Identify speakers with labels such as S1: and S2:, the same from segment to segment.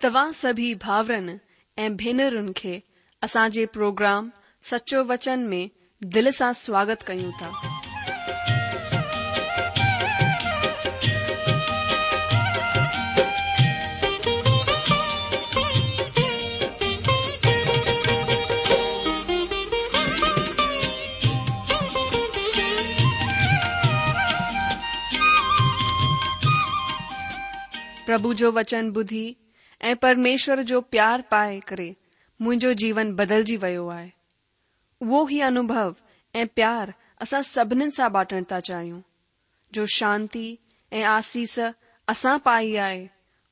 S1: توهان سڀئي ڀاورن ۽ ڀينرن کي اسان جي پروگرام سچو وچن ۾ دل سان سواگت ڪيون ٿا. پرڀو جو وچن ٻڌي ۽ پرميشور جو پيار پائي ڪري منهنجو جيون بدلجي ويو آهي. اهو ئي انوڀو ۽ پيار اسان سڀنين سان بانٽڻ ٿا چاهيون. جو شانتي ۽ آسيس اسان پائي آهي،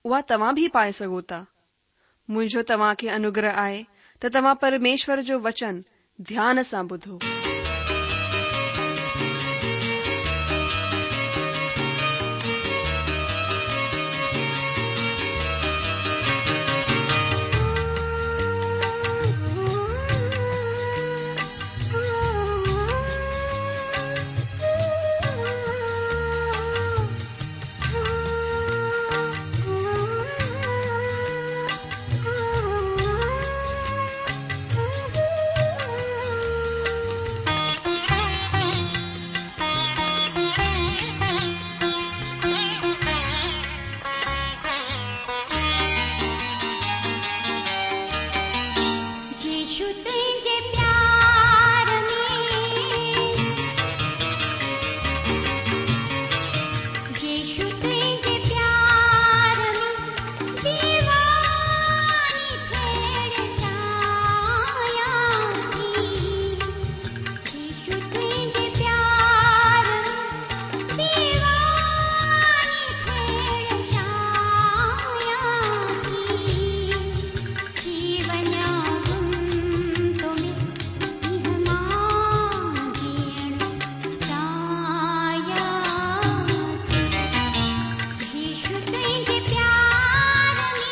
S1: اها توهان به پائي سگهو ٿا. منهنجو توهان کي انوگره آهي ته توهان پرميشور جو وچن ڌيان سان ٻڌو.
S2: يسوع تنهنجي پيار ۾. يسوع تنهنجي پيار ۾ ديواني ٿيڻ چاهيان ٿي. يسوع تنهنجي پيار ۾ ديواني ٿيڻ چاهيان ٿي. ٿي وڃان گم تو ۾ ايهه مان جيئڻ چاهيان ٿي. يسوع تنهنجي پيار ۾.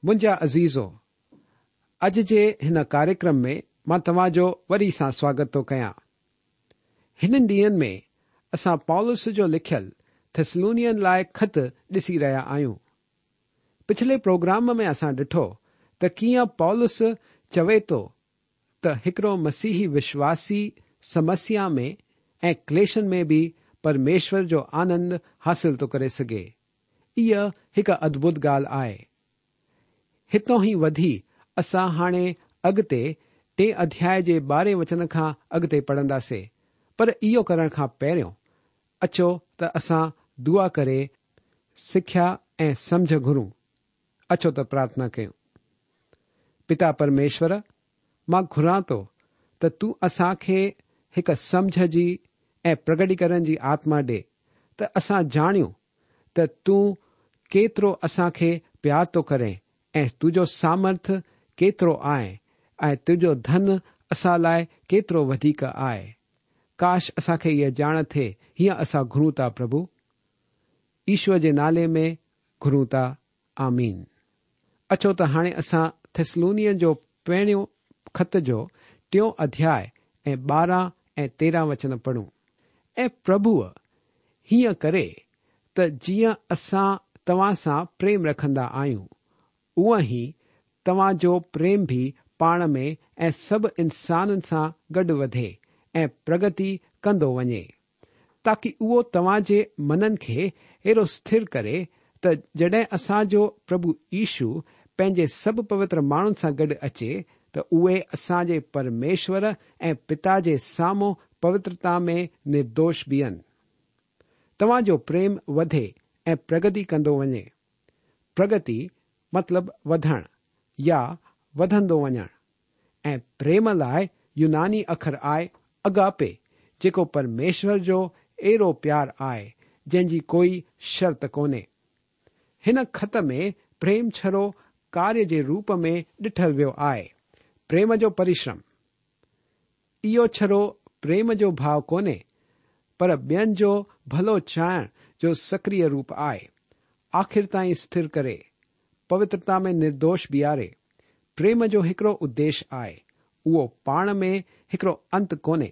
S3: منهنجا عزيزو، اڄ جي هن ڪاريڪرم ۾ مان توهان جو وري سان سواگت ٿو ڪيان. هنن ڏينهن ۾ اسان پولس جو لکيل ٿيسلونين لاء خط ڏسي رهيا آهيون. پڇلي پروگرام ۾ اسان ڏٺو ته ڪيئن پولس چوي ٿو ته هڪڙو مسيحي وشواسي سمسيا ۾ ۽ ڪليشن ۾ به پرميشور جو آنند حاصل ٿو ڪري سگهي. اها هڪ ادڀت ڳالهه آهي. هتان ئي وڌي اسان هاڻي اڳتي ٽئين اڌياء جي ٻارهين وچن کان اڳتي پڙهنداسي پر اهو ڪرڻ کان پهريون اچو ته اسان دعا ڪري سکيا ۽ سمجهه گهرون. اچو ته پرارٿنا ڪيون. پتا پرميشور، مان گهران ٿو ته تون اسان کي هڪ سمجهه جي ۽ پرگٽيڪرڻ جي آتما ڏي ته اسان ڄاڻيون ته تون ڪيترو اسان کي پيار ٿو ڪرين ۽ تنهنجو سامرٿ ڪيترو آهي ۽ تنهنجو ڌن اسان لاء ڪيترو وڌيڪ آهي. ڪاش اسان کي اها ڄاڻ ٿئي، هيئن اسان گهرون ٿا پرڀو. يشوء جي نالي ۾ گهرون ٿا. آمين. اچو ته هاڻي اسان ٿيسلونين جو پهريون خط جو ٽيون اڌياء ۽ 12 ۽ 13 وچن پڙهون. ۽ پرڀو هيئن ڪري ته جيئن اسان توهان سان پريم رکندا آهيون، اونئن ئي توهان جو پريم به پاڻ ۾ ۽ سڀ انسانن سان گڏ وڌي ۽ پرگتي ڪندو وڃي. تاڪي اهو توهان جي منن کي اهڙو سٿر ڪري ته جڏهن اسان جو پرڀو يشو پنهنجي سڀ پوتر ماڻهن سان گڏ اچي ته اهي اسان جي پرميشور ۽ پتا جي سامهون پوترتا ۾ نردوش بيهن. توهان جو پريم وڌي ۽ پرگتي ڪندو وڃي. پرگتي مطلب وڌڻ يا وڌندو وڃڻ. ۽ پريم لاء يوناني اکر آهي اگاپي جيڪو پرميشور جو اهڙو پيار آهي جنهن جي ڪوئي شرط ڪونهي. هن خط ۾ پريم ڇڙو ڪاريه جي روپ ۾ ڏٺل ويو آهي. پريم جو پرشرم. اهو ڇڙو پريم جو ڀاء ڪونهي، پر ٻين جو ڀلو چاهڻ جو سڪريه روپ آهي. آخر تائين اسٿر ڪري، پوترتا ۾ نردوش بيهاري. پريم جو هڪڙو اديش آهي، اهو پاڻ ۾ هڪڙو انت ڪونهي.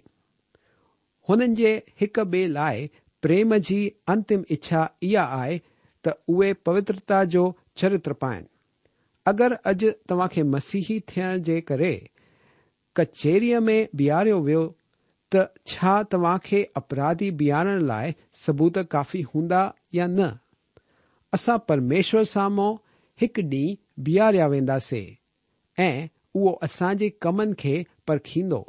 S3: هنن جي هڪ ٻئي لاء پريم جي انتم اڇا اها آهي ته اهي پوترتا جو چرتر پائن. اگر اڄ توهان کي مسيحي ٿيڻ جي ڪري ڪچهريء ۾ بيهاريو ويو ته ڇا توهان کي اپراڌي بيهارڻ لاء ثبوت ڪافي هوندا يا نه؟ اسان پرميشور سامهون هڪ ڏينهن بيهاريا وينداسي ۽ اهو اسان جي ڪمن کي پرکيندو.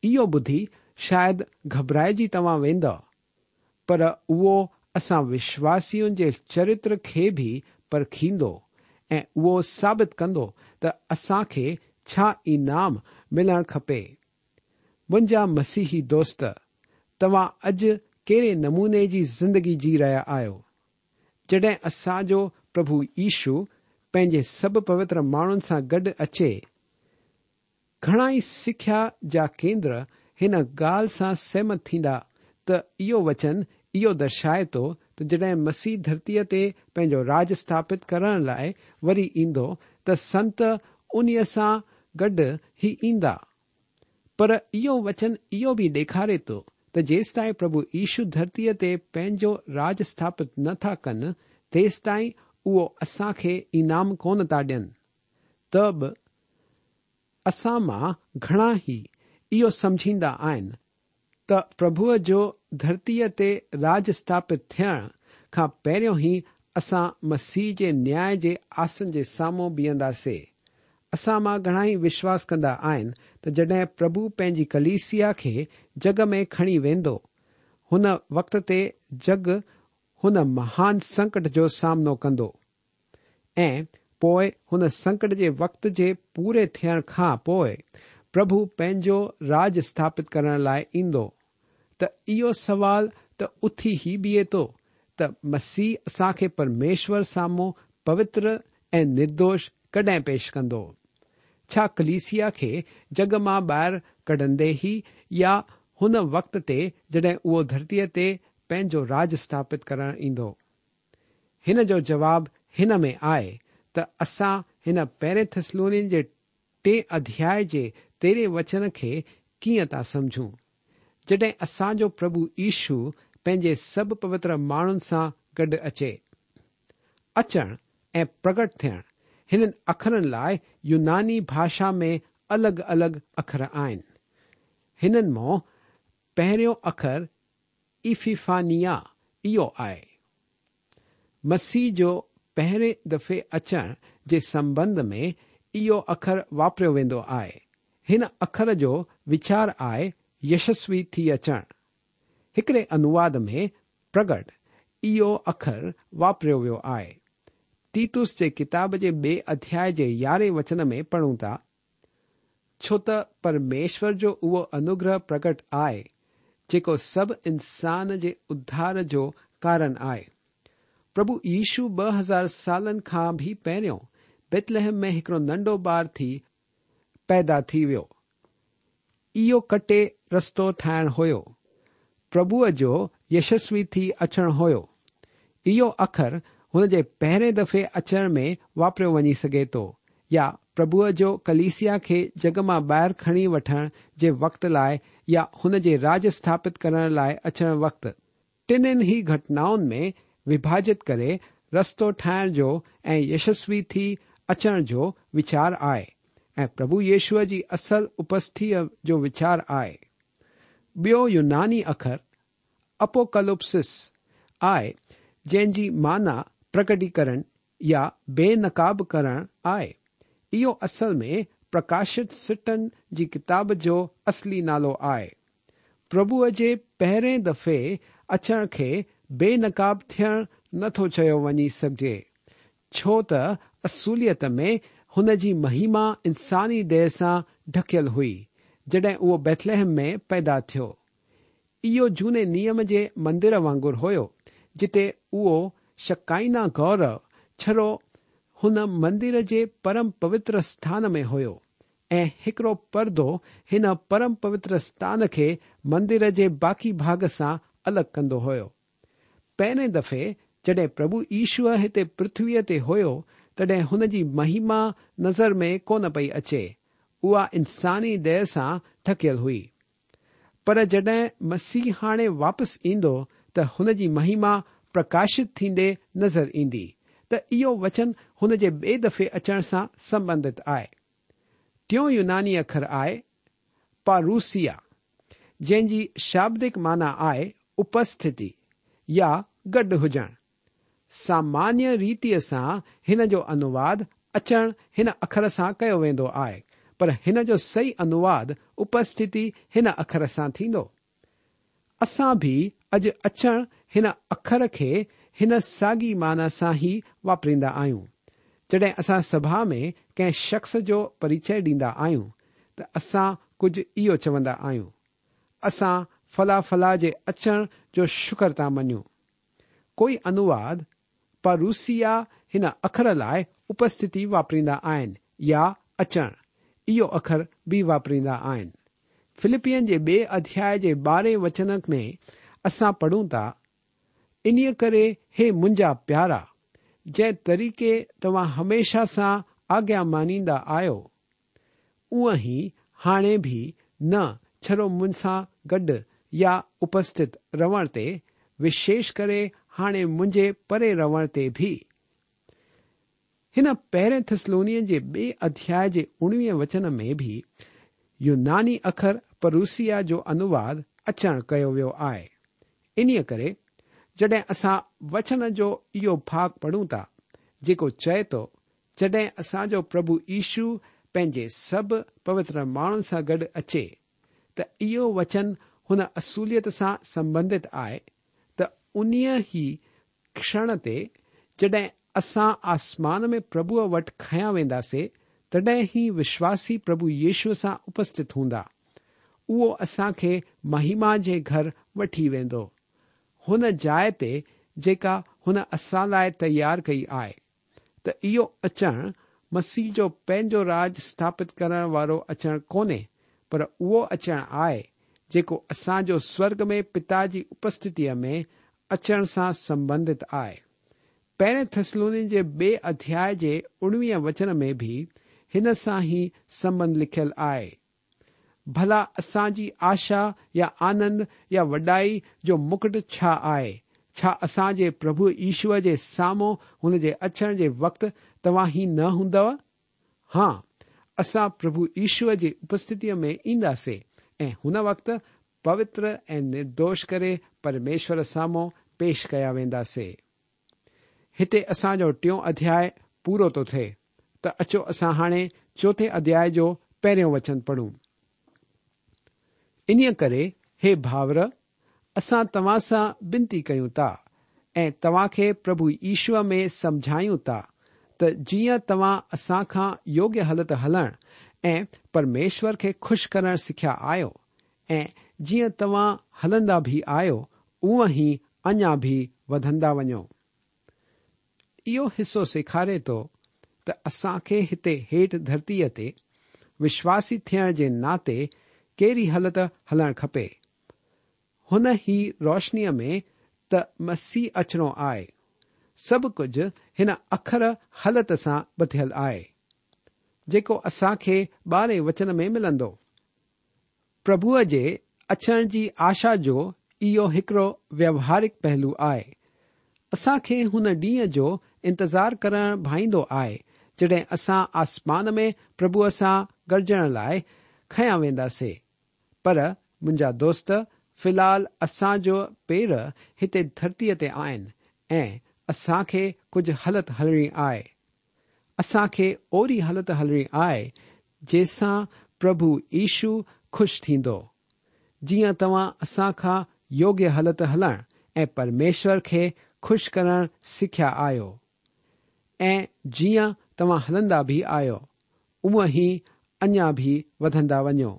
S3: اهو ٻڌي شايد گهٻرائجي توهان ويندؤ، پر اهو اسان وشواسين جي چرتر کي به پرکيندو ۽ اهو ثابت ڪندو ته اسان کي ڇا انعام ملڻ کپي. منهنجا مسيحي دوست، توهان اڄ ڪهڙي نموني جي زندگي جي رهيا آهيو؟ جڏهن اسان جو پرڀو يشو پنهنجي سڀ پوتر ماڻهن سان گڏ اچي، گهڻا ئي سکيا جا ڪيندر هن ڳالهه سان سهمت ٿيندا ته اهو وچن اهو درشائي ٿو ته جڏهن مسيح ڌرتيء تي پنهنجو راڄ اسٿاپت ڪرڻ لاء وري ايندو ته سنت انهيء سان گڏ ئي ايندا. پر اهو وچن اهو به ڏيکاري ٿو ته جيستائين پرڀو يشو ڌرتيء تي پنهنجو راڄ اسٿاپت نه ٿا ڪن تيستائين اهو اسان کي انعام ڪونه ٿا ڏين ته به اسان مان گهڻا ئي اهو سمجهيندا آهن ته پرڀوء جو ڌرتيء تي راڄ اسٿاپت ٿيڻ کان پهريون ئي اسان مسيح جي نياء جي آسن جي سامهون بيهنداسي. اسان مان گهڻا ئي وشواس ڪندا آهن ته جڏهن پرڀو پنهنجي ڪليسيا کي جڳ ۾ کڻي ويندو، هن وقت تي جڳ هن مهان سنڪٽ جو سامنو ڪندو. ۽ پوء هن سنڪٽ جي وقت جي پوري ٿيڻ کان پوء پرڀو پنهنجو راڄ اسٿاپت ڪرڻ لاء ايندو ته اهو سوال ته اٿي ئي بيهي ٿو ته مسيح اسان کي پرميشور سامهون پوتر ۽ نردوش ڪڏهن پيش ڪندو؟ ڇا ڪليسيا کي جڳ مان ٻاهر ڪڍندي ئي يا هن وقت تي جڏهن اهو ڌرتيء تي پنهنجو راڄ اسٿاپت ڪرڻ ايندو؟ هن جو جواب هن ۾ آهي ته اسان هن پهرين ٿسلونين جي ٽئين اڌياء جي تيرهين وچن کي ڪيئن ٿا سمجهون، جڏهن اسان جو پرڀو يشو پنهنجي سڀ پوتر ماڻهن سان گڏ اچي. اچڻ ۽ پرگٽ ٿيڻ هنن اکرن لاء يوناني ڀاشا ۾ الڳ الڳ اکر آهن. هنن مان پهريون اکر ايفيفانيا اهو آهي. مسيح جو پهرين دفعي اچڻ جي سنٻنڌ ۾ اهو اکر واپريو ويندو آهي. هن اکر جو ويچار آهي يشسوي ٿي اچڻ. هڪڙي انواد ۾ پرگٽ اهو اکر واپريو ويو آهي. تيتس جي ڪتاب جي ٻئي اڌياء جي يارهين وچن ۾ پڙهون ٿا. ڇو ته پرميشور جو اهو انوگره پرگٽ آهي، جيڪو سڀ انسان جي اڌار جو ڪارڻ آهي. پرڀو يشو 2000 سالن کان به پهريون بيتلحم ۾ هڪڙو ننڍو ٻار ٿي پيدا ٿي ويو. اهو ڪٽي رستو ٺاهڻ هيو. پرڀوء جو يشسوي ٿي اچڻ هيو. اهو اکر هن جي پهرين دفعي اچڻ ۾ واپريو وڃي سگهي ٿو يا پرڀوء جو ڪليسيا کي جڳ مان ٻاهر کڻي وٺڻ جي وقت لاء يا هن جي راڄ اسٿاپت ڪرڻ لاء اچڻ وقت. ٽنهي ئي گهٽنائن ۾ وڀاجت ڪري رستو ٺاهڻ جو ۽ يشسوي ٿي اچڻ جو ويچار آهي ۽ پرڀو يشوع جي اصل اپسٿتيء جو ويچار آهي. ٻيو يوناني اکر اپوڪلپسس آهي جنهن جي معنيٰ پرگٽيڪرڻ يا بي نقاب ڪرڻ آهي. اهو اصل ۾ پرڪاشت سٽن جي ڪتاب جو اصلي نالو آهي. پرڀوء جي پهرين دفعي اچڻ کي بي نقاب ٿيڻ نه ٿو چيو وڃي سگهجي ڇو ته اصليت ۾ هن جي مهما انساني ديهه سان ڍڪيل هئي، جڏهن اهو بيٿلحم ۾ پيدا ٿيو. اهو جهوني نيم جي مندر وانگر هيو، جتي اهو شڪائنا گورو ڇڙو هن مندر جي پرم پوتر اسٿان ۾ هيو ۽ هڪڙو پردو هن پرم پوتر اسٿان کي مندر جي باقي ڀاڳ سان الڳ ڪندو هيو. پهرين دفعي جڏهن پرڀو يشوع هتي پرٿويء تي هيو تڏهن هن جي مهما نظر ۾ ڪونه پئي اچي، اها انساني ديهه سان ڍڪيل هئي. پر جڏهن مسيح هاڻي واپس ايندو ته هن جي مهما پرڪاشت ٿيندي نظر ايندي ته اهو وچن هن جي ٻئي دفعي اچڻ سان سنٻنڌت آهي. ٽيون يوناني اکر آهي پاروسيا جنهن جي شابدڪ معنيٰ آهي اپسٿتي يا گڏ هجڻ. سامانيه ريتيء سان هن جو انوواد اچڻ هن اکر سان ڪيو ويندو آهي، پر هن جو صحيح انوواد اپسٿتي هن اکر سان ٿيندو. اسان به اڄ اچڻ هن اکر کي هن ساڳي معنيٰ سان ئي واپريندا آهيون. جڏهن اسان سڀا ۾ ڪنهن شخص جو پريچئه ڏيندا آهيون ته اسان ڪجهه اهو چوندا آهيون، اسان فلان فلان جي اچڻ جو شڪر ٿا مڃون. ڪوئي انوواد پاروسيا هن اکر لاء اپسٿتي واپريندا آهن يا اچڻ اهو اکر به واپريندا آهن. فلپين جي ٻئي اڌياء جي ٻارهين وچن ۾ اسان پڙهون ٿا، انهيء ڪري هي منهنجا پيارا، جنهن طريقي توهان هميشه سان آگيا مانيندا آهيو، اونء ئي هاڻي به نه ڇڙو مون سان گڏ يا اپسٿت رهڻ تي، وشيش ڪري هاڻي منهنجي پري رهڻ تي به. هن پهرين ٿسلونين جي ٻئي اڌياء جي اڻويهين وچن ۾ به يوناني اکر پروسيا جو انوواد اچڻ ڪيو ويو آهي. انهيء ڪري جڏهن اسان وچن جو اهو ڀاڳ پڙهون ٿا، جيڪو چئي ٿو جڏهن اسان جو پرڀو يشو پنهنجي سڀ پوتر ماڻهن سان گڏ اچي ته اهو وچن هن اصوليت سان سنبنڌت آهي ته انهيء ئي ڪشڻ تي جڏهن اسان آسمان ۾ پرڀوء وٽ کنيا وينداسي تڏهن ئي وشواسي پرڀو يشو سان اپسٿت هوندا. اهو اسان کي مهما جي گهر وٺي ويندو. هن جاء تي جيڪا هن اسان لاء تيار ڪئي آهي. ته اهو اچڻ مسيح جو پنهنجو راڄ اسٿاپت ڪرڻ وارو اچڻ ڪونهي، پر اهو اچڻ آهي، جيڪو اسان جو سورڳ ۾ پتا جي اپسٿتيء ۾ اچڻ سان سنبنڌت آهي. پهرين ٿسلونين جي ٻئي اڌياء جي اڻويهين وچن ۾ به هن سان ئي سنبنڌ لکيل آهي. ڀلا اسان جي آشا يا آنند يا وڏائي جو مڪٽ ڇا آهي؟ ڇا اسان جي پرڀو يشوع جي سامهون هن جي اچڻ جي وقت توهان ئي نه هوندؤ؟ ها، اسان پرڀو يشوع جي اپسٿتيء ۾ اينداسي ۽ هن وقت پوتر ۽ نردوش ڪري پرميشور سامهون پيش ڪيا وينداسي. هتي اسان جو ٽيون اڌياء پورو ٿو ٿئي ته اچو اسان هاڻي چوٿين اڌياء جو پهريون وچن پڙهون. انهيء ڪري هي ڀائر، اسان توهان سان بنتي ڪيون ٿا ۽ توهان کي پرڀو يشوع ۾ سمجهايون ٿا ته جيئن توهان اسان کان يوگيه هلت هلڻ ۽ پرميشور کي خوش ڪرڻ سکيا آهيو ۽ جيئن توهان هلندا به آهيو، اونء ئي اڃا به وڌندا وڃو. اهو حصو سيکاري ٿو ته اسان کي هتي هيٺ ڌرتيء تي وشواسي ٿيڻ جي ناتي ڪهڙي هلت هلڻ کپي. هن ئي روشنيء ۾ ته مسيح اچڻو آهي. سڀ ڪجهه هن اکر هلت سان ٻڌيل آهي، جيڪو اسان کي ٻارهين وچن ۾ ملندو. پرڀوء جي اچڻ جي آشا جو اهو هڪڙو ويوهارڪ پهلو آهي. اسان کي هن ڏينهن جو انتظار ڪرڻ ڀائيندو آهي، جڏهن اسان آسمان ۾ پرڀوء سان گڏجڻ لاء کنيا وينداسي. پر منهنجا دوست، في الحال اسان جو پير هتي ڌرتيء تي آهن ۽ اسان کي ڪجهه هلت هلڻي آهي. اسان کي اهڙي هلت هلڻي آهي جنهن سان پرڀو يشو خوش ٿيندو. جيئن توهان اسان کان يوگيه هلت هلڻ ۽ پرميشور کي خوش ڪرڻ سکيا آهيو ۽ جيئن توهان هلندا به آهيو اونء ئي اڃا به وڌندا وڃو.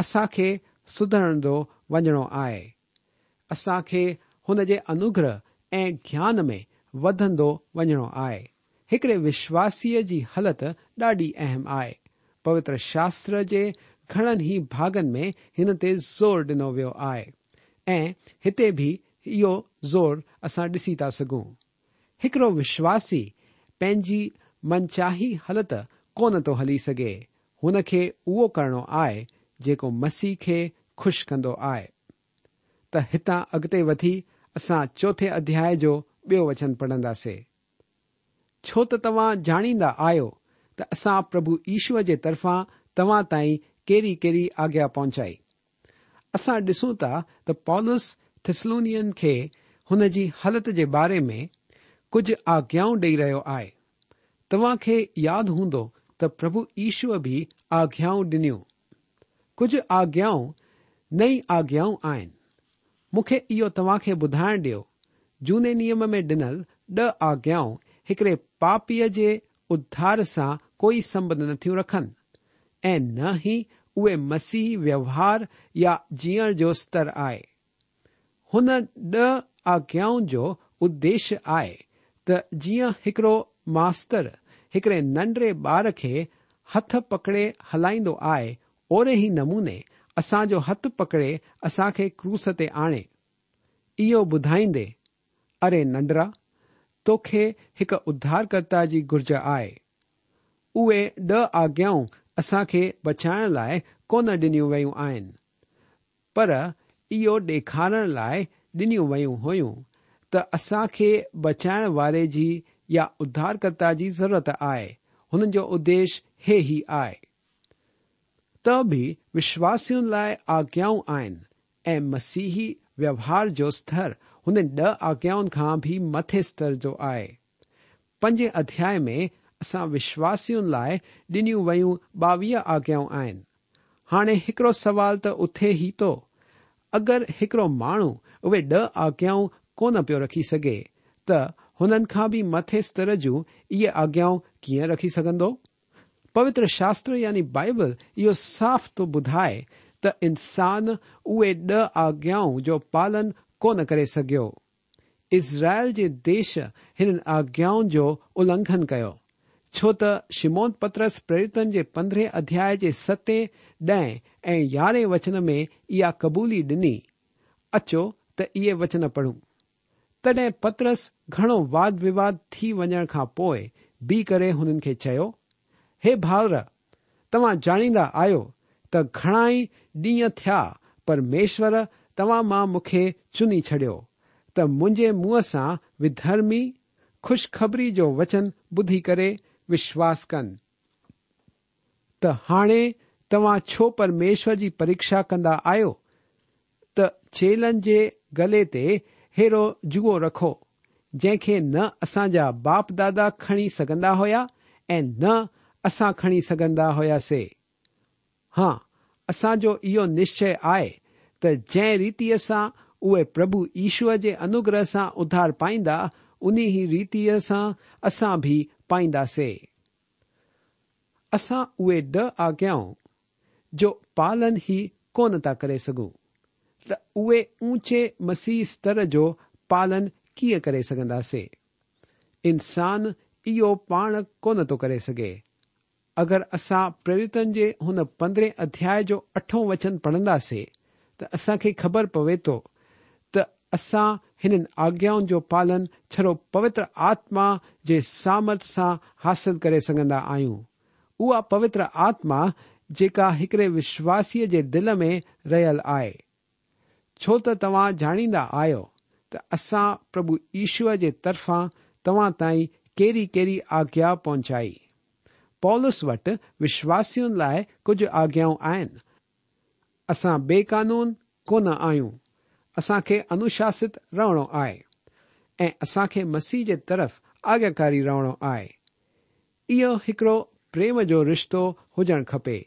S3: اسان کي سڌرندو وڃڻو آهي. اسان کي هن جي انوگره ۽ گيان ۾ وڌندو وڃڻو آهي. هڪڙي وشواسيء جي هلت ڏاڍي اهم آهي. پوتر شاستر جي گهڻن ئي ڀاڳن ۾ هن تي زور ڏنو ويو آهي ۽ هتي به اهو زور اسان ڏسي ٿا سگهون. هڪڙو وشواسي پنهنجي منچاهي هلت ڪونه ٿو هلي سگهي، هن کي اهو ڪرڻو آهي جيڪو مسيح کي خوش ڪندو آهي. ته هتان اڳتي وڌي اسان چوٿين اڌياء جو ٻيو وچن پڙهنداسي. ڇو ته توهان ڄاڻيندا آهيو ته اسان پرڀو يشوع جي طرفان توهان تائين ڪهڙي ڪهڙي آگيا پهچائي. اسان ڏسون ٿا ته پولس ٿسلونين کي هن جي هلت جي باري ۾ ڪجهه آگيائون ڏئي رهيو آهي. توهان کي ياد هوندو ته پرڀو يشوع به آگيائون ڏنيون. ڪجهه آگيائون نئين آگيائون آهن. مون کي اهو توهان کي ٻڌائڻ ڏيو، جهوني نيم ۾ ڏنل ڏهه آگيائون هڪڙي پاپيء جي اڌار سان ڪوئي سنٻنڌ نٿيون رکن ۽ نه ئي اهي مسيحي ويوهار يا جيئڻ جو ستر آهي. هن ڏهه آگيائن جو اديش آهي ته جيئن هڪڙو ماستر هڪڙي ننڍڙي ٻار کي هٿ پڪڙي هلائيندو آهي اوهڙي ئي نموني اسان جو هٿ پڪڙي اسان کي ڪروس تي آڻي. اهو ٻڌائيندي، اري ننڍڙا، توکي هڪ اڌارڪرتا جي گهرج آهي. اهي ڏهه آگيائون اسان کي بچائڻ لاء ڪونه ڏنيون ويون آهن. پر اهو ڏيکارڻ لاء ڏنيون ويون هيون ته اسان کي بچائڻ واري جي يا اڌارڪرتا جي ضرورت آهي، هنن جو اديش هي ئي آهي. ته به وشواسين لاء آگيائون آهن ۽ مسيحي ويوهار جو ستر هنن ڏهه آگيائن کان به مٿي ستر جو آهي. پنجين اڌياء ۾ اسان وشواسين لاء ڏنيون ويون 22 آگيائون آهن. هاڻي هڪڙو سوال ته اٿي ئي ٿو، اگر هڪڙو ماڻهو اهي ڏهه آگيائون ڪونه پيو رکي سگهي ته هنن کان به مٿي ستر جون اهي آگيائون ڪيئن رکي سگهندو؟ پوتر شاستر يعني بائيبل اهو صاف ٿو ٻڌائي ته انسان اهي ڏهه آگيائون جو پالن ڪونه ڪري سگهيو. اسرائيل جي ديش هنن آگيائن جو النگهن ڪيو، ڇو ته شمعون پطرس پريريتن جي پندرهين اڌياء جي ستين، ڏهين ۽ يارهين وچن ۾ اها قبولي ڏني. اچو ته اهي وچن پڙهون. تڏهن پطرس گهڻو واد وواد ٿي وڃڻ کان پوء بيهي ڪري هنن کي چيو، هي ڀائر، توهان ڄاڻيندا آهيو ته گهڻائي ڏينهن ٿيا پرميشور توهان مان مون کي چني ڇڏيو ته منهنجي منهن سان وڌرمي خوشخبري جو وچن ٻڌي ڪري وشواس ڪن. ته هاڻي توهان ڇو پرميشور جي پريکشا ڪندا آهيو ته چيلن جي گلي تي ههڙو جوئو رکو، جنهن کي نه اسان جا باپ دادا کڻي سگهندا هيا ۽ نه اسان کڻي سگهندا هياسي. ها، اسان جو اهو نشچي آهي ته جنهن ريتيء سان اهي پرڀو يشوع جي انوگره سان اڌار پائيندا، انهي ئي ريتيء سان اسان به پائينداسي. اسان اهي ڏهه آگيائون جو پالن ئي ڪونه ٿا ڪري سگهون ته اهي اونچي مسيحي ستر جو پالن ڪيئن ڪري سگهنداسي؟ انسان اهو پاڻ ڪونه ٿو ڪري سگهي. اگر اسان پريريتن جي هن پندرهين اڌياء جو اٺون وچن پڙهنداسي ته اسان کي خبر پوي ٿو ته اسان هنن آگيائن جو پالن ڇڙو پوتر آتما جي سامرٿ سان حاصل ڪري سگهندا آهيون. اها پوتر آتما جيڪا هڪڙي وشواسيء جي دل ۾ رهيل آهي. ڇو ته توهان ڄاڻيندا آهيو ته اسان پرڀو يشوع جي طرفان توهان تائين ڪهڙي ڪهڙي آگيا پهچائي. پولس وٽ وشواسين لاء ڪجهه آگيائون آهن. اسان بي قانون ڪونه آهيون، اسان کي انوشاست رهڻو آهي ۽ اسان کي مسيح جي طرف آگياڪاري رهڻو آهي. اهو هڪڙو پريم جو رشتو هجڻ کپي.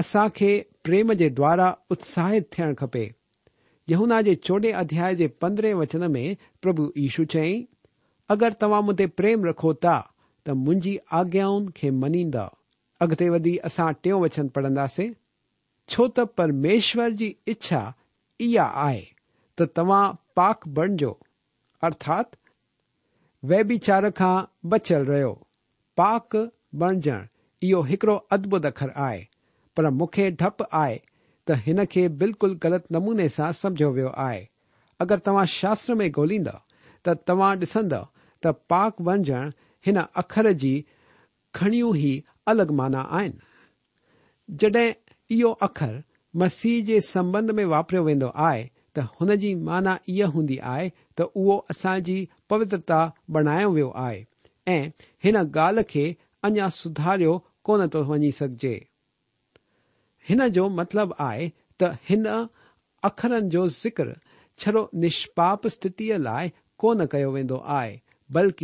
S3: اسان کي پريم جي دوارا اتساهت ٿيڻ کپي. يوحنا جي چوڏهين اڌياء جي پندرهين وچن ۾ پرڀو يشو چيائين، اگر توهان مون تي پريم رکو ٿا ته منهنجي آگيائن کي مڃيندؤ. اڳتي وڌي اسان ٽيون وچن پڙهنداسين، ڇو ته پرميشور جي اڇا اها آهي ته ته توهان پاڪ بڻجو، ارٿات ويڀيچار کان بچيل رهيو. پاڪ بڻجڻ اهو هڪڙو ادڀت اکر آهي، پر مون کي ڊپ آهي ته هن کي بلڪل غلط نموني سان سمجهيو ويو آهي. اگر توهان شاستر ۾ ڳوليندؤ ته توهان ڏسندؤ ته پاڪ بڻجڻ هن اکر جي گهڻيون ئي الڳ معنيٰ آهن. جڏهن اهو اکر مسيح جي سنٻنڌ ۾ واپريو ويندو آهي ته هن جي معنيٰ اها هوندي آهي ته اهو اسان جي پوترتا بڻايو ويو آهي ۽ هن ڳالهه کي اڃا سڌاريو ڪونه ٿو وڃي سگهجي. هن جو مطلب آهي ته هن اکرن جو ذڪر ڇڙو نشپاپ اسٿتيء لاء ڪونه ڪيو ويندو آهي، بلڪ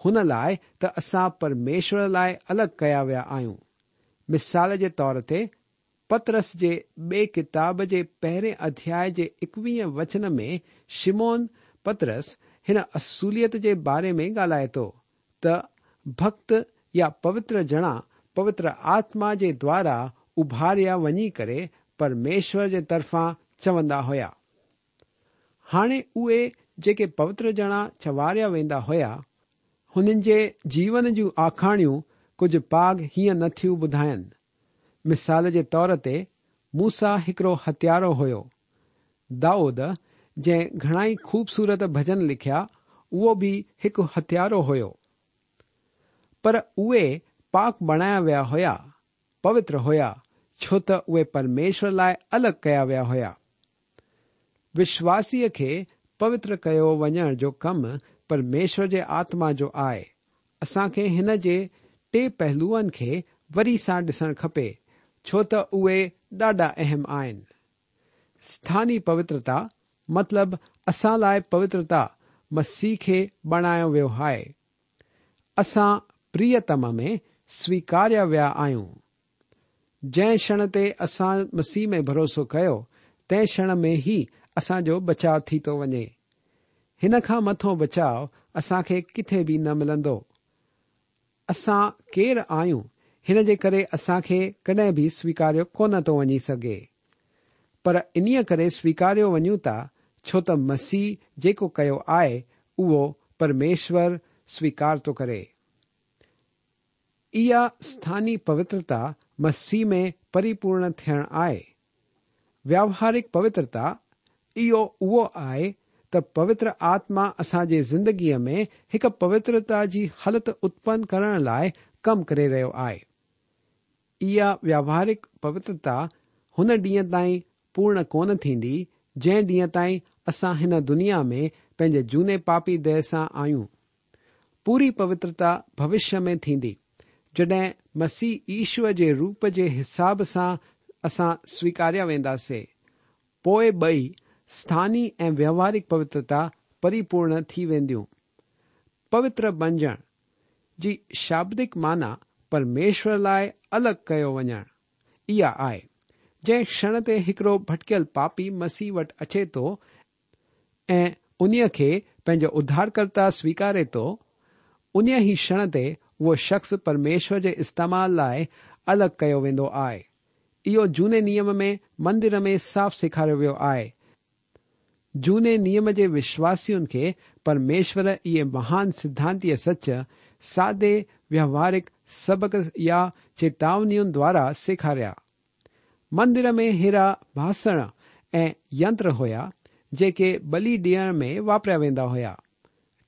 S3: هن لاء ته اسان پرميشور لاء الڳ ڪيا ويا آهيون. مثال جي طور تي، پطرس جي ٻئي ڪتاب جي پهرين اڌياء جي ايڪويهين وچن ۾ شمعون پطرس هن اصوليت جي باري ۾ ڳالهائي ٿو ته ڀڳت يا پوتر ڄڻا پوتر آتما جي دوارا اڀاريا وڃي ڪري پرميشور جي طرفان چوندا هيا. هاڻي اهي جيڪي پوتر ڄڻا چواريا ويندا هيا، هنن جي جيون جون آکاڻيون ڪجهه پاڳ هيئن نه ٿيون ٻڌائن. مثال جي طور تي موسيٰ هڪڙو هتيارو هيو. دائود جنهن گهڻائي خوبصورت ڀڄن لکيا اهو به هڪ هتيارو هيو. پر اهي پاڪ بڻايا ويا هيا، پوتر هيا، ڇو ته اهي پرميشور لاء الڳ ڪيا ويا هيا. وشواسيء کي پوتر ڪيو وڃڻ جو ڪم پرميشور جي آتما جو آهي. اسان کي هن جي ٽي پهلوئن کي وري سان ڏسڻ کپي، ڇو ته اهي ڏاڍا اهم آهن. اسٿاني پوترتا، مطلب اسان لاء پوترتا مسيح کي بڻايو ويو آهي. اسان پريتم ۾ سويڪاريا ويا آهيون. جنهن ڪشڻ تي اسان مسيح ۾ ڀروسو ڪيو، تنهن ڪشڻ ۾ ئي اسان جو بچاء ٿي ٿو وڃي. هن کان مٿو بچاء اسان کي ڪٿي به نه ملندو. اسان ڪير آهيون، هن جي ڪري اسان کي ڪڏهن به سويڪاريو ڪونه ٿو وڃي سگهي. پر انهيء ڪري سويڪاريو وڃون ٿا، ڇو ته مسيح جيڪو ڪيو آهي، اهو پرميشور سويڪار ٿو ڪري. اها اسٿاني پوترتا مسيح ۾ پريپورڻ ٿيڻ آهي. ويوهارڪ پوترتا اهو اهو آهي ته پوتر آتما اسان جي زندگيء ۾ هڪ پوترتا جي حالت اتپن ڪرڻ لاء ڪم ڪري رهيو آهي. اها ويوهارڪ پوترتا هن ڏينهن تائين پورڻ ڪونه ٿيندي جنهن ڏينهن تائين اسان هن دنيا ۾ پنهنجي جهوني پاپي ديهه سان آهيون. پوري پوترتا ڀوشيه ۾ ٿيندي، جڏهن مسيح يشوع جي روپ جي حساب سان اسان سويڪاريا وينداسي. پوء ٻئي، اسٿاني ۽ ويوهارڪ پوترتا پريپورڻ ٿي وينديون. پوتر بنجڻ جي شابدڪ معنيٰ پرميشور لاء الڳ ڪيو وڃڻ اها آهي. جنهن ڪشڻ تي هڪڙو ڀٽڪيل پاپي مسيح وٽ اچي ٿو ۽ انهيء کي پنهنجو اڌارڪرتا سويڪاري ٿو، انهيء ئي ڪشڻ تي اهو شخص پرميشور جي استعمال لاء الڳ ڪيو ويندو آهي. اهو جهوني نيم ۾ مندر ۾ صاف سيکاريو ويو آهي. جهوني نيم جي وشواسين کي پرميشور اهي مهان سڌانتيه سچ سادي ويوهارڪ سبق يا چيتاونين دوارا سيکاريا. مندر ۾ ههڙا باسڻ ۽ ينتر هيا، جيڪي ٻلي ڏيڻ ۾ واپريا ويندا هيا.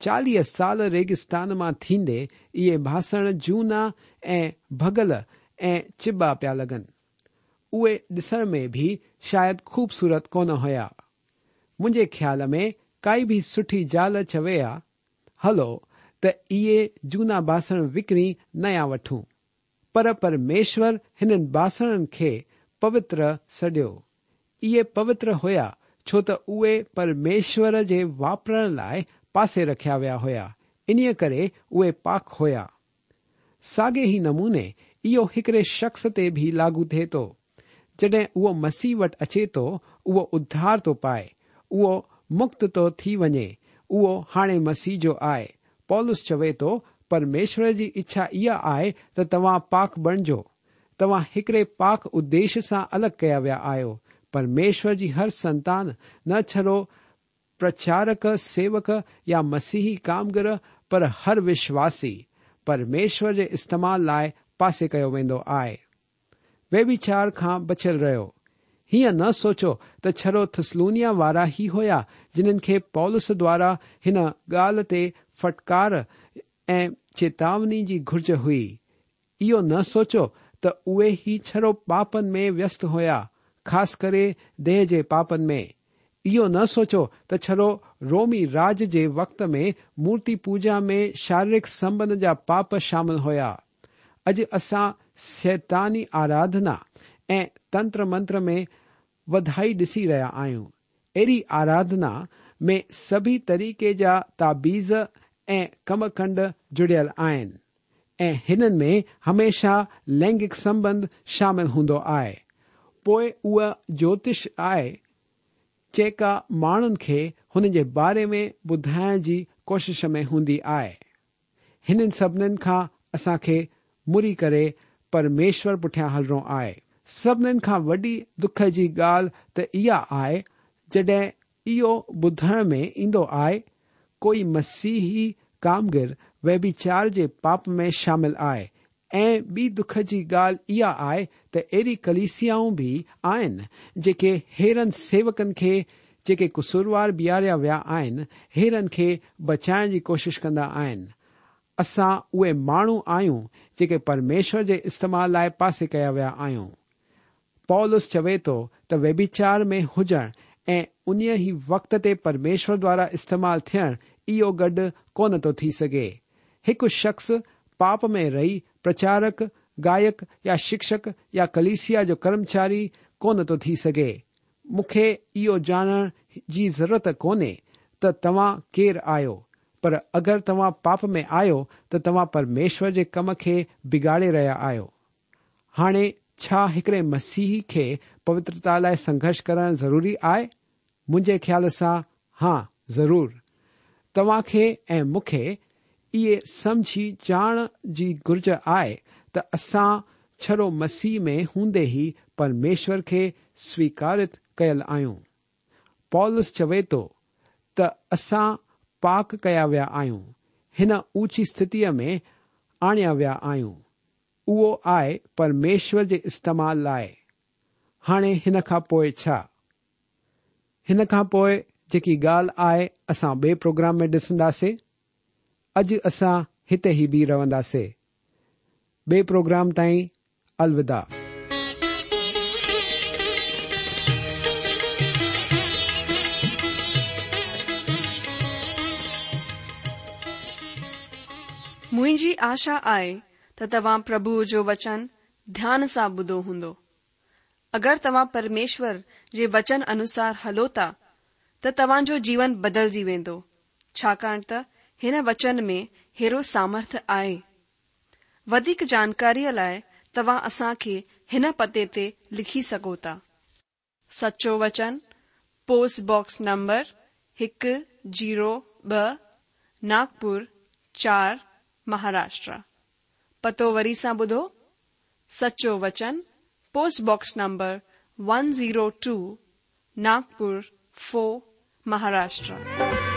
S3: 40 سال ريگستان مان ٿيندي اهي باسڻ جهونا ۽ ڀڳل ۽ چٻا پيا لڳن. اهي ڏسڻ ۾ به شايد خوبصورت ڪونه هيا. منهنجي خيال ۾ ڪائي به سٺي زال چوي ها، هلو ته اهي جهونا باسڻ وڪڻي نيا وٺون. پر پرميشور هنن باسڻن کي پوتر سڏيو. اهي پوتر هيا ڇو ته اهي پرميشور جي واپرڻ لاء پاسي رکيا ويا هيا، انهيء ڪري اهي پاڪ هيا. ساڳئي ئي نموني اهو هڪڙي شخص تي به لاڳو ٿئي ٿو. جڏهن اهو مسيح وٽ اچي ٿو، اهو اڌار ٿو پائي، اهو مڪت ٿو ٿي وڃي، اهو هاڻي مسيح جو آهي. پولس چوي ٿو، پرميشور جي اڇا اها آهي ته توهان پاڪ بڻجو. توهان هڪڙي پاڪ اديش سان الڳ ڪيا ويا آهيو. پرميشور جي هر سنتان نه ڇڙو پرچارڪ، سيوڪ يا مسيحي ڪامگر پر هر وشواسي پرميشور جي استعمال لاء پاسي ڪيو ويندو آهي. ويڀيچار کان بچيل رهيو. هيئن نه سوچو ته ڇڙو ٿسلونيا وارا ئي هيا جنن کي پولس دوارا هن ڳالهه تي ڦٽڪار ۽ چيتاوني جي گهرج هئي. اهو نه سوچو ته اهي ئي ڇڙو پاپن ۾ ويست هيا، خاص ڪري ديهه جي پاپن ۾. اهو نه سوچو ته ڇڙو رومي راڄ جي وقت ۾ مورتي پوڄا ۾ شاريرڪ سنٻنڌ جا پاپ شامل هيا. اڄ اسان شيطاني آراڌنا ۽ تنتر منتر ۾ وڌائي ڏسي رهيا آهيون. اهڙي آراڌنا ۾ سڀئي طريقي جا تعويذ ۽ ڪم ڪنڊ جڙيل آهن ۽ هنن ۾ هميشه لينگڪ سنٻنڌ شامل هوندو آهي. پوء اها جوتش آهي جيڪا ماڻهن کي هن جي باري ۾ ٻڌائڻ جي ڪوشش ۾ هوندي آهي. هنن سڀنين کان اسان کي مڙي ڪري پرميشور پٺيان هلڻو آهي. سڀنين کان وڏي دک جي ڳالهه ته اها آهي جڏهن اهو ٻڌڻ ۾ ايندو آهي ڪوئي مسيحي ڪامگر ويڀيچار جي پاپ ۾ شامل آهي ۽ ٻي دک جي ڳالهه اها آهي ته اهڙي ڪليسيائون به آهن جيڪي ههڙن سيوڪن کي جيڪي قصوروار بيهاريا ويا آهن ههڙن کي بچائڻ جي ڪوشش ڪندا آهن. اسان اهي ماڻهو آهيون جيڪي پرميشور جي استعمال لاء پاسي ڪيا ويا آهيون. پولس چوي ٿو ته ويڀيچار ۾ هجڻ ۽ انهيء ئي وقت تي پرميشور دوارا استعمال ٿيڻ اهو گڏ ڪونه ٿو ٿي سگهي. هڪ شخص پاپ ۾ رهي پرچارڪ، گائڪ يا شڪشڪ يا ڪليسيا جو ڪرمچاري ڪونه ٿو ٿي سگهي. مون کي اهو ڄاڻڻ جي ضرورت ڪونهي ته توهان ڪير آهيو، پر اگر توهان پاپ ۾ آهيو ته توهان پرميشور جي ڪم کي بگاڙي رهيا آهيو. هاڻي ڇا هڪڙي مسيحي کي پوترتا لاء سنگهرش ڪرڻ ضروري آهي؟ منهنجي خيال سان ها ضرور. توهان کي ۽ مون کي اهي سمجهي ڄاڻڻ جي گهرج آهي ته اسان ڇڙو مسيح ۾ هوندي ئي پرميشور کي سويڪارت ڪيل آهيون. پولس چوي ٿو ته اسان پاڪ ڪيا ويا آهيون، هن اوچي اسٿتيء ۾ آڻيا ويا آهيون. اهو آهي پرميشور جي استعمال لاء. هاڻي هن کان پوء ڇا؟ هن کان پوء جيڪي ڳالهه آهي اسان ٻئي پروگرام ۾ ڏسنداسي. اڄ اسان هتي ئي بيهي رهنداسي. ٻئي پروگرام تائين الوداع.
S1: منهنجي آشا آهي ته توهان پرڀوء جو وچن ڌيان سان ٻڌو هوندو. اگر توهان پرميشور جي وچن انوسار هلو ٿا ته توهان جو جيون بدلجي ويندو، ڇاڪاڻ ته هن وچن ۾ هيرو سامرٿ آهي. وڌيڪ جانڪاريء لاء توهان اسان کي هن پتي تي لکي سگهو ٿا. سچو وچن، پوسٽ باڪس نمبر هڪ زيرو ٻه، ناگپور چار، مهاراشٽرا. پتو وري سان ٻڌو، سچو وچن، post box number one zero two, Nagpur four, Maharashtra.